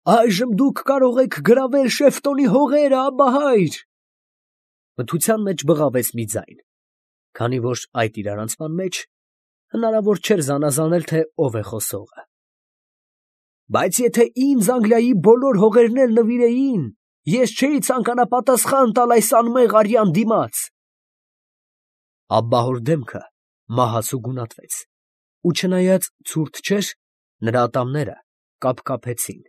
Այժմ դուք կարող եք գրավել Շեֆտոնի հողերը, Աբբահայր։ Մթության մեջ բղավեց մի ձայն, քանի որ այդ իրարանցման մեջ հնարավոր չէր զանազանել, թե ով է խոսողը։ Բայց եթե ինձ Անգլիայի բոլոր հողերն էլ նվիրեին, ես չէի ցանկանա պատասխան տալ այս անմեղ արյան դիմաց։ Աբբահոր դեմքը մահացու գունատվեց, ու չնայած ցուրտ չէր, նրա ատամները կապկապեցին։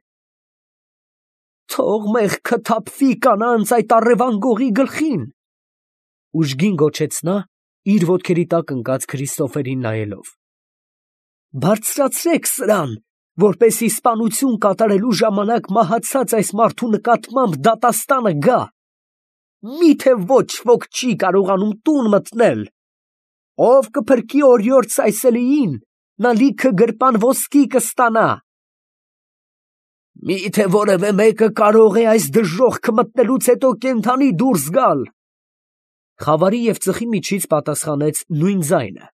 Թող մեղքը թափվի կանանց այդ առևան գողի գլխին, ուժգին գոչեց նա, իր ոտքերի տակ ընկած Քրիստոֆերին նայելով։ Բարձրացրեք սրան, որպեսզի սպանություն կատարելու ժամանակ մահացած այս մարդու նկատմամբ դատաստանը գա։ Միթե ոչ ոք չի կարողանում տուն մտնել։ Ով կփրկի օրիորդ Սայսելիին, նա լիքը գրպան ոսկի կստանա։ Միթե որևէ մեկը կարող է այս դժոխքը մտնելուց հետո կենդանի դուրս գալ։ Խավարի և ծխի միջից պատասխանեց նույն ձայնը։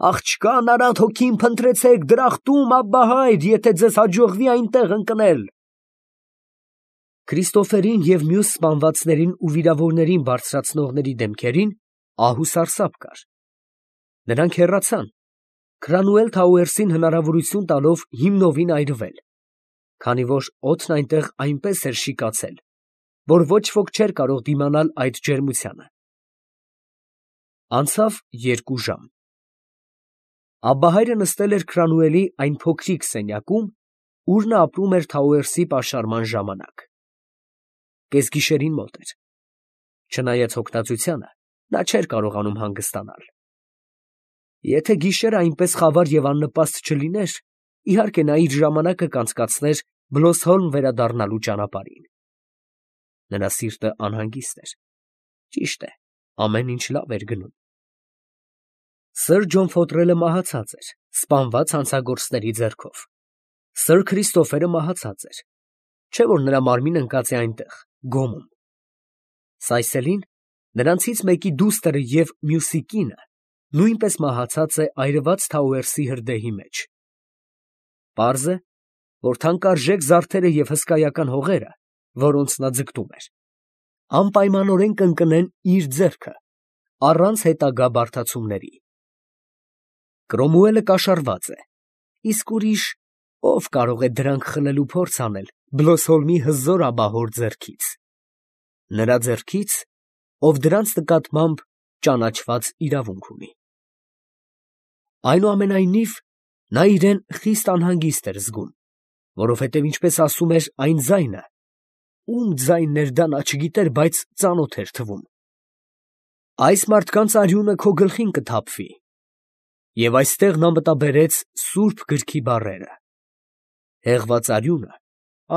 Աղջկան Արադ հոգին փնտրեցեք դրախտում, Աբբահայր, եթե ձեզ հաջողվի այնտեղ ընկնել։ Քրիստոֆերին և մյուս սպանվածներին ու վիրավորներին բարձրացնողների դեմքերին ահ ու սարսափ կար։ Նրանք հեռացան, Քրանուել Թաուերսին հնարավորություն տալով հիմնովին այրվել, քանի որ օդն այնտեղ այնպես էր շիկացել, որ ոչ ոք չէր կարող դիմանալ այդ ջերմությանը։ Անցավ 2 ժամ։ Աբբահայրը նստել էր Քրանուելի այն փոքրիկ սենյակում, ուր նա ապրում էր Թաուերսի պաշարման ժամանակ։ Կեսգիշերին մոտ էր։ Չնայած հոգնածությանը, նա չէր կարողանում հանգստանալ։ Եթե գիշերը այնպես խավար և աննպաստ չլիներ, իհարկե նա իր ժամանակը կանցկացներ Բլոսհոլմ վերադառնալու ճանապարհին։ Նրա սիրտը անհանգիստ էր։ Ճիշտ է, ամեն ինչ լավ էր գնում։ Սըր Ջոն Ֆոտրելը մահացած էր, սպանված հանցագործների ձեռքով։ Սըր Քրիստոֆերը մահացած էր, չէ՞ որ նրա մարմինը ընկած է այնտեղ, գոմում։ Սայսելին, նրանցից մեկի դուստրը և մյուսի կինը, նույնպես մահացած է այրված Թաուերսի հրդեհի մեջ։ Պարզ է, որ թանկարժեք զարդերը և հսկայական հողերը, որոնց նա ձգտում էր, անպայմանորեն կընկնեն իր ձեռքը, առանց հետագա բարդացումների։ Կրոմուելը կաշառված է, իսկ ուրիշ ով կարող է դրանք խլելու փորձ անել Բլոսհոլմի հզոր աբահոր ձեռքից։ Նրա ձեռքից, ով դրանց նկատմամբ ճանաչված իրավունք ունի։ Այնուամենայնիվ, նա իրեն խիստ անհանգիստ էր զգում, որովհետև ինչպես ասում էր այն ձայնը, ում ձայնն էր դա նա չգիտեր, բայց ծանոթ էր թվում։ Այս մարդկանց արյունը քո գլխին կթափվի։ Եվ այստեղ նա մտաբերեց սուրբ գրքի բառերը. հեղված արյունը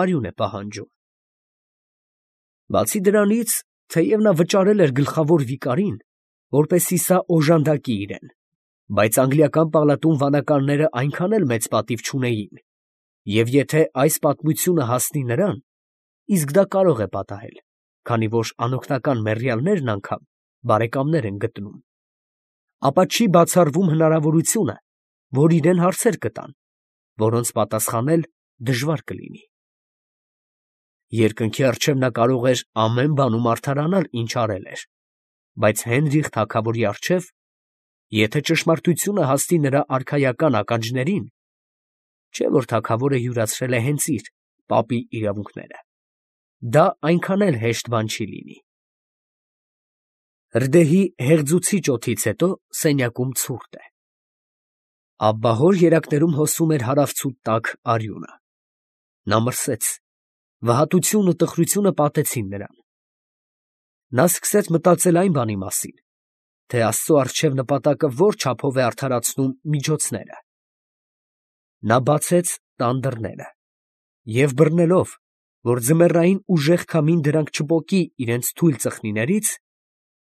արյուն է պահանջում։ Բացի դրանից, թեև նա վճարել էր գլխավոր վիկարին, որպեսզի սա օժանդակի իրեն, բայց անգլիական պալատում վանականները այնքան էլ մեծ պատիվ չունեին, և եթե այս պատմությունը հասնի նրան, իսկ դա կարող է պատահել, քանի որ անօգնական մեռյալներն անգամ բարեկամներ են գտնում, ապա չի բացառվում հնարավորությունը, որ իրեն հարցեր կտան, որոնց պատասխանել դժվար կլինի։ Երկնքի առջև նա կարող էր ամեն բանում արդարանալ, ինչ արել էր, բայց Հենրիխ թագավորի առջև, եթե ճշմարտությունը հասնի նրա արքայական ականջներին, չէ՞ որ թագավորը յուրացրել է հենց իր պապի իրավունքները, դա այնքան էլ հեշտ բան չի լինի։ Հրդեհի հեղձուցիչ օդից հետո սենյակում ցուրտ է։ Աբբահոր երակներում հոսում էր հարավցուտ տաք արյունը։ Նա մրսեց, վհատությունն ու տխրությունը պատեցին նրան։ Նա սկսեց մտածել այն բանի մասին, թե Աստծո առջև նպատակը որ չափով է արդարացնում միջոցները։ Նա բացեց տան դռները և բռնելով, որ ձմեռային ուժեղ քամին դրանք չպոկի իրենց թույլ ծխնիներից,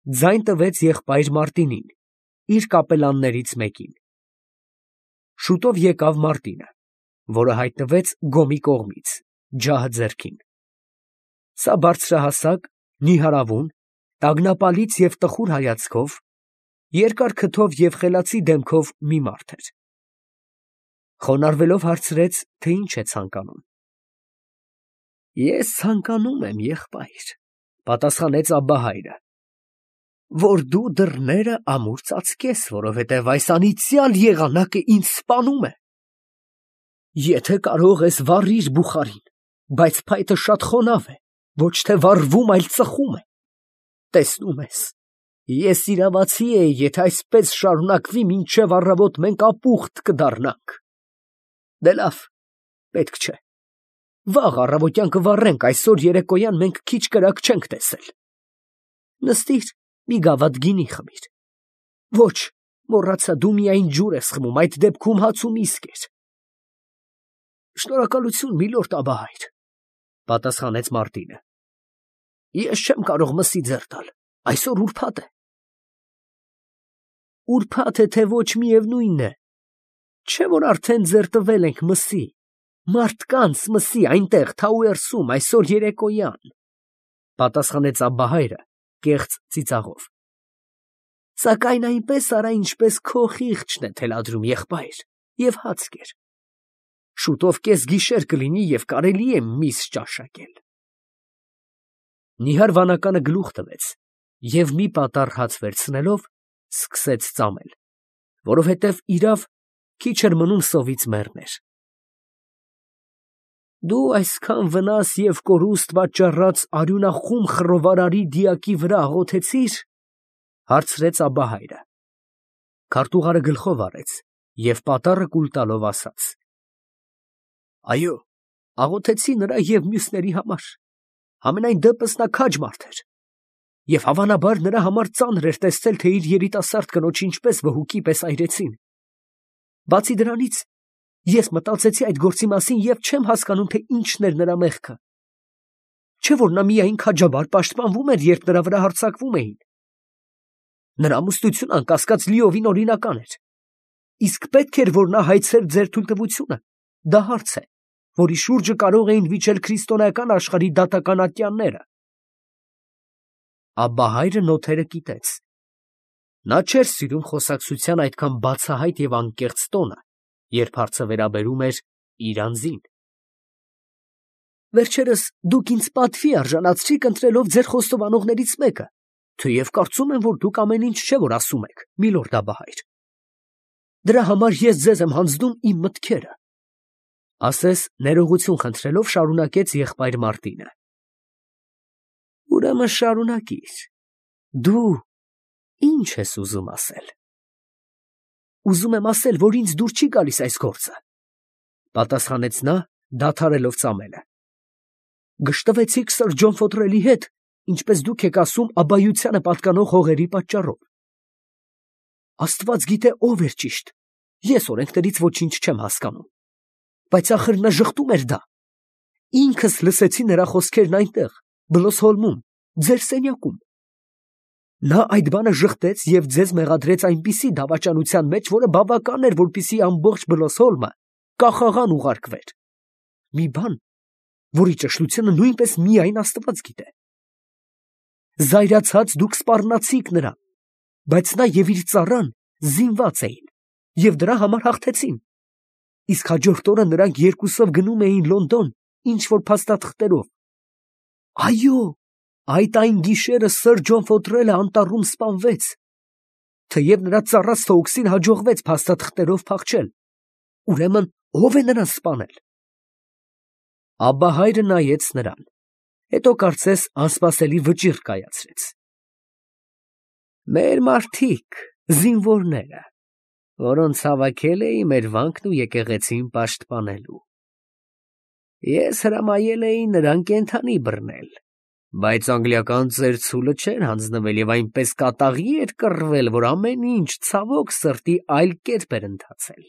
ձայն տվեց եղբայր Մարտինին, իր կապելաններից մեկին։ Շուտով եկավ Մարտինը, որը հայտնվեց Գոմի կողմից, ջահը ձեռքին։ Սա բարձրահասակ, նիհարավուն, տագնապալից և տխուր հայացքով, երկար քթով և խելացի դեմքով մի մարդ էր։ Խոնարհվելով հարցրեց, թե ինչ է ցանկանում։ Ես ցանկանում եմ, եղբայր, պատասխանեց Աբբահայրը, որ դու դռները ամուր ծածկես, որովհետև այս անիծյալ եղանակը ինձ սպանում է։ Եթե կարող ես, վառիր բուխարին, բայց փայտը շատ խոնավ է, ոչ թե վառվում, այլ ծխում է։ Տեսնում ես, ես իրավացի էի, եթե այսպես շարունակվի, մինչև առավոտ մենք ապուխտ կդառնանք։ Դե լավ, պետք չէ։ Վաղ առավոտյան կվառենք, այսօր երեկոյան մենք քիչ կրակ չենք տեսել։ Նստիր, մի գավաթ գինի խմիր։ Ոչ, մոռացա, դու միայն ջուր ես խմում, այդ դեպքում հաց ու միս կեր։ Շնորհակալություն, միլորդ Աբբահայր, պատասխանեց Մարտինը։ Ես չեմ կարող մսի ձեռ տալ, այսօր ուրբաթ է։ Ուրբաթ է, թե ոչ, միևնույն է, չէ՞ որ արդեն ձեռ տվել ենք մսի, մարդկանց մսի, այնտեղ Թաուերսում, այսօր երեկոյան, պատասխանեց Աբբահայրը կեղծ ծիծաղով։ Սակայն այնպես արա, ինչպես քո խիղճն է թելադրում, եղբայր, և հաց կեր։ Շուտով կեսգիշեր կլինի և կարելի է միս ճաշակել։ Նիհար վանականը գլուխ տվեց և մի պատառ հաց վերցնելով սկսեց ծամել, որովհետև իրավ քիչ էր մնում սովից մեռներ։ Դու այսքան վնաս և կորուստ պատճառած արյունախում խռովարարի դիակի վրա աղոթեցի՞ր, հարցրեց Աբբահայրը։ Քարտուղարը գլխով առեց և պատառը կուլ տալով ասաց. Այո, աղոթեցի նրա և մյուսների համար, համենայն դեպս նա քաջ մարդ էր, և հավանաբար նրա համար ծանր էր տեսնել, թե իր երիտասարդ կնոջը ինչպես վհուկի պես այրեցին։ Բացի դրանից, ես մտածեցի այդ գործի մասին և չեմ հասկանում, թե ինչն էր նրա մեղքը։ Չէ՞ որ նա միայն քաջաբար պաշտպանվում էր, երբ նրա վրա հարձակվում էին։ Նրա ամուսնությունը անկասկած լիովին օրինական էր։ Իսկ պետք էր, որ նա հայցեր ձեր թույլտվությունը։ Դա հարց է, որի շուրջը կարող էին վիճել քրիստոնեական աշխարհի դատական ատյանները։ Աբբահայրը նոթերը կիտեց։ Նա չէր սիրում խոսակցության այդքան բացահայտ և անկեղծ տոնը, երբ հարցը վերաբերում էր իր անձին։ Վերջերս դուք ինձ պատվի արժանացրիք ընտրելով ձեր խոստովանողներից մեկը, թեև կարծում եմ, որ դուք ամեն ինչ չէ, որ ասում եք, միլորդ Աբբահայր։ Դրա համար ես ձեզ եմ հանձնում իմ մտքերը, ասես ներողություն խնդրելով շարունակեց եղբայր Մարտինը։ Ուրեմն շարունակիր։ Դու ինչ ես ուզում ասել։ Ուզում եմ ասել, որ ինձ դուր չի գալիս այս գործը, պատասխանեց նա, դադարելով ծամելը։ Գժտվեցիք սըր Ջոն Ֆոթրելի հետ, ինչպես դուք եք ասում, աբայությանը պատկանող հողերի պատճառով։ Աստված գիտե ով էր ճիշտ, ես օրենքներից ոչինչ չեմ հասկանում, բայց ախր նա ժխտում էր դա։ Ինքս լսեցի նրա խոսքերն այնտեղ, Բլոսհոլմում, ձեր սենյակում։ Նա այդ բանը ժխտեց և ձեզ մեղադրեց այնպիսի դավաճանության մեջ, որը բավական էր, որպեսզի ամբողջ Բլոսհոլմը կախաղան ուղարկվեր։ Մի բան, որի ճշտությունը նույնպես միայն Աստված գիտե։ Զայրացած դուք սպառնացիք նրան, բայց նա և իր ծառան զինված էին և դրա համար հաղթեցին։ Իսկ հաջորդ օրը նրանք երկուսով գնում էին Լոնդոն ինչ-որ փաստաթղթերով։ Այո, այն գիշերը սըր Ջոն Ֆոթրելը անտառում սպանվեց, թեև նրա ծառա Սթոուքսին հաջողվեց փաստաթղթերով փախչել։ Ուրեմն ո՞վ է նրան սպանել։ Աբբահայրը նայեց նրան, հետո կարծես անսպասելի վճիռ կայացրեց։ Մեր մարդիկ, զինվորները, որոնց հավաքել էի մեր վանքն ու եկեղեցին պաշտպանելու։ Ես հրամայել էի նրան կենդանի բռնել, բայց անգլիական ծեր ցուլը չէր հանձնվել և այնպես կատաղի էր կռվել, որ ամեն ինչ ցավոք սրտի այլ կերպ էր ընթացել։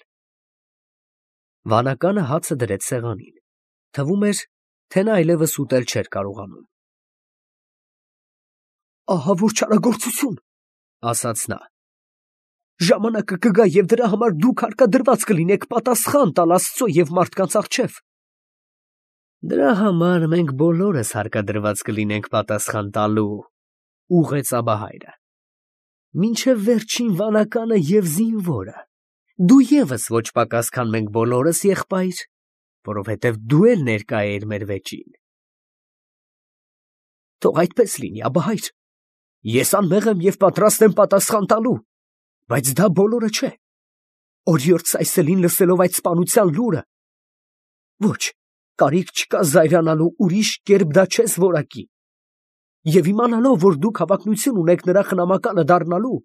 Վանականը հացը դրեց սեղանին, թվում էր, թե նա այլևս ուտել չէր կարողանում։ Ահա որ չարագործություն, ասաց նա։ Ժամանակը կգա և դրա համար դուք հարկադրված կլինեք պատասխան տալ Աստծո և մարդկանց առջև։ Դրա համար մենք բոլորս հարկադրված կլինենք պատասխան տալու, ուղղեց Աբբահայրը։ Մինչև վերջին վանականը և զինվորը, դու ևս ոչ պակաս, քան մենք բոլորս, եղբայր, որովհետև դու էլ ներկա էիր մեր վեճին։ Թող այդպես լինի, աբահայր։ Ես անմեղ եմ և պատրաստ եմ պատասխան տալու, բայց դա բոլորը չէ։ Օրիորդ Սայսելին լսելով այդ սպանության լուրը, ոչ, կարիք չկա զայրանալու, ուրիշ կերպ դա չես որակի։ Եվ իմանալով, որ դուք հավակնություն ունեք նրա խնամակալը դառնալու,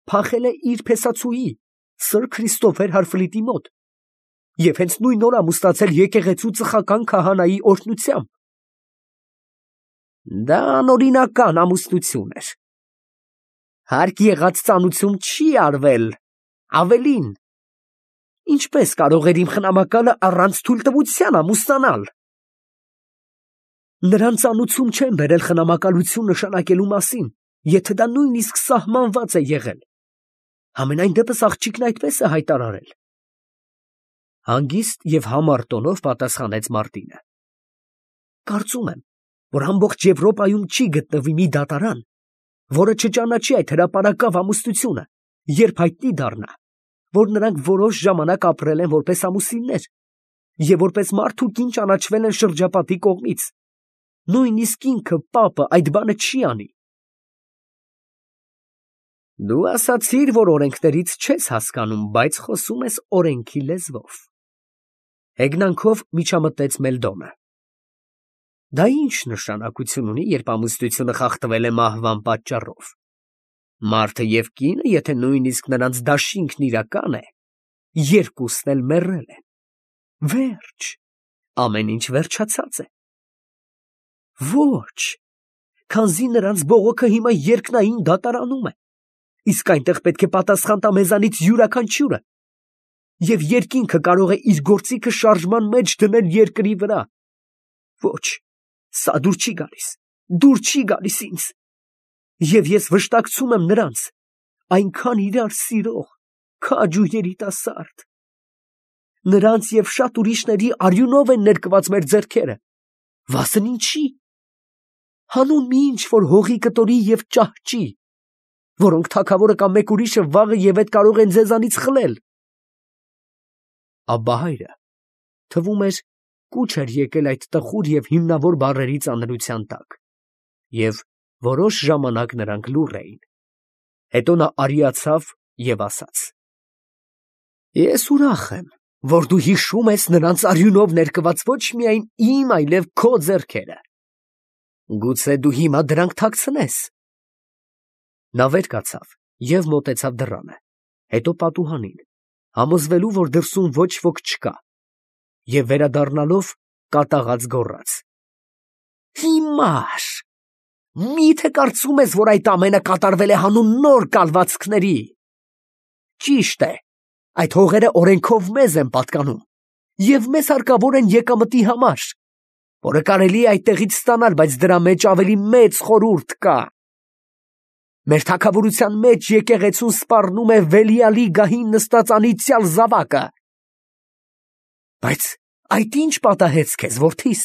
փախել է իր փեսացուի, Սր Քրիստոֆեր Հարֆլիտի մոտ, և հենց նույն օր ամուսնացել եկեղեցու ծխական քահանայի օրհնությամբ։ Դա անօրինական ամուսնություն էր։ Հարկ եղած ծանուցում չի արվել, ավելին, ինչպես կարող էր իմ խնամակալը առանց թույլտվության ամուսնանալ։ Նրան ծանուցում չեն բերել խնամակալություն նշանակելու մասին, եթե դա նույնիսկ սահմանված է եղել։ Համենայն դեպս աղջիկն այդպես է հայտարարել։ Հանգիստ և համառ տոնով պատասխանեց Մարտինը։ Կարծում եմ, որ ամբողջ Եվրոպայում չի գտնվի մի դատարան, որը չճանաչի այդ հրապարակավ ամուսնությունը, երբ հայտնի դառնա, որ նրանք որոշ ժամանակ ապրել են որպես ամուսիններ և որպես մարդ ու կին ճանաչվել են շրջապատի կողմից։ Նույնիսկ ինքը պապը այդ բանը չի անի։ Դու ասացիր, որ օրենքներից չես հասկանում, բայց խոսում ես օրենքի լեզվով։ Հեգնանքով միջամտեց Մելդոնը։ Դա ինչ նշանակություն ունի, երբ ամուսնությունը խախտվել է մահվան պատճառով։ Մարդը և կինը, եթե նույնիսկ նրանց դաշինքն իրական է, երկուսն էլ մեռել են։ Վերջ, ամեն ինչ վերջացած է։ Ոչ, քանզի նրանց բողոքը հիմա երկնային դատարանում է, իսկ այնտեղ պետք է պատասխան տա մեզանից յուրաքանչյուրը, և երկինքը կարող է իր գործիքը շարժման մեջ դնել երկրի վրա։ Ոչ, սա դուր չի գալիս ինձ, և ես վշտակցում եմ նրանց, այնքան իրար սիրող, քաջ ու երիտասարդ։ Նրանց և շատ ուրիշների արյունով են ներկված մեր ձեռքերը, վասն ինչի։ Հանուն մի ինչ-որ հողի կտորի և ճահճի, որոնք թագավորը կամ մեկ ուրիշը վաղը և ետ կարող են ձեզանից խլել։ Աբբահայրը, թվում էր, կուչ էր եկել այդ տխուր և հիմնավոր բառերի ծանրության տակ, և որոշ ժամանակ նրանք լուռ էին։ Հետո նա արիացավ և ասաց. Ես ուրախ եմ, որ դու հիշում ես նրանց արյունով ներկված ոչ միայն իմ, այլև քո ձեռքերը։ Գուցե դու հիմա դրանք թաքցնես։ Նա վեր կացավ և մոտեցավ դռանը, հետո պատուհանին, համոզվելու, որ դրսում ոչ ոք չկա, և վերադառնալով կատաղած գոռաց. Հիմար, մի՞թե կարծում ես, որ այդ ամենը կատարվել է հանուն նոր կալվածքների։ Ճիշտ է, այդ հողերը օրենքով մեզ են պատկանում, և մեզ հարկավոր են եկամտի համար, որը կարելի է այդտեղից ստանալ, բայց դրա մեջ ավելի մեծ խորհուրդ կա։ Մեր թագավորության մեջ եկեղեցուն սպառնում է Վելիալի գահին նստած անիծյալ զավակը։ Բայց այդ ի՞նչ պատահեց քեզ, որդիս։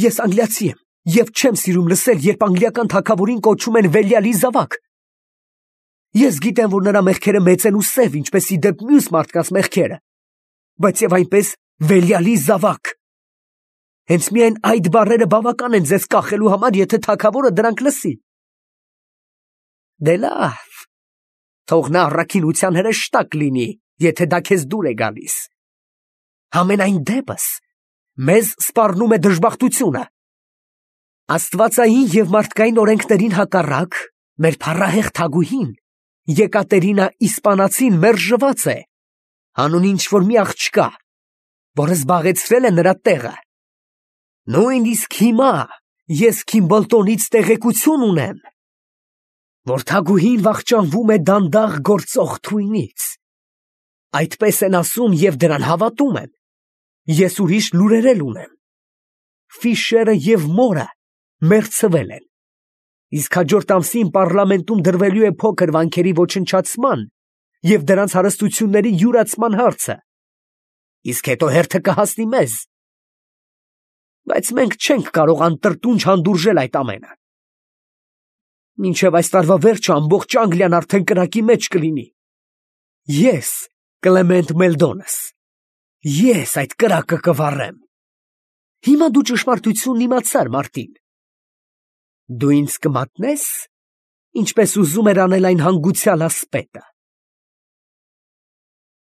Ես անգլիացի եմ և չեմ սիրում լսել, երբ անգլիական թագավորին կոչում են Վելիալի զավակ։ Ես գիտեմ, որ նրա մեղքերը մեծ են ու սև, ինչպես ի դեպ մյուս մարդկանց մեղքերը, բայց և այնպես Վելիալի զավակ։ Հենց միայն այդ բառերը բավական են ձեզ կախելու համար, եթե թագավորը դրանք լսի։ Դե լավ, թող նա առաքինության հրեշտակ լինի, եթե դա քեզ դուր է գալիս։ Համենայն դեպս, մեզ սպառնում է դժբախտությունը։ Աստվածային և մարդկային օրենքներին հակառակ, մեր փառահեղ թագուհին, Եկատերինա Իսպանացին մերժված է, հանուն ինչ-որ մի աղջկա, որը զբաղեցրել է նրա տեղը։ Նույնիսկ հիմա ես Քիմբլտոնից տեղեկություն ունեմ, որ թագուհին վախճանվում է դանդաղ գործող թույնից։ Այդպես են ասում և դրան հավատում եմ։ Ես ուրիշ լուրեր էլ ունեմ։ Ֆիշերը և մորը մեռցվել են, իսկ հաջորդ ամսին պառլամենտում դրվելու է փոքր վանքերի ոչնչացման և դրանց հարստությունների յուրացման հարցը, իսկ հետո հերթը կհասնի մեզ։ Բայց մենք չենք կարող անտրտունջ հանդուրժել այդ ամենը։ Մինչև այս տարվա վերջը ամբողջ Անգլիան արդեն կրակի մեջ կլինի։ Ես, Կլեմենտ Մելդոնս, ես այդ կրակը կվառեմ։ Հիմա դու ճշմարտությունն իմացար, Մարտին, Դու ինձ կմատնե՞ս, ինչպես ուզում էր անել այն հանգուցյալ ասպետը։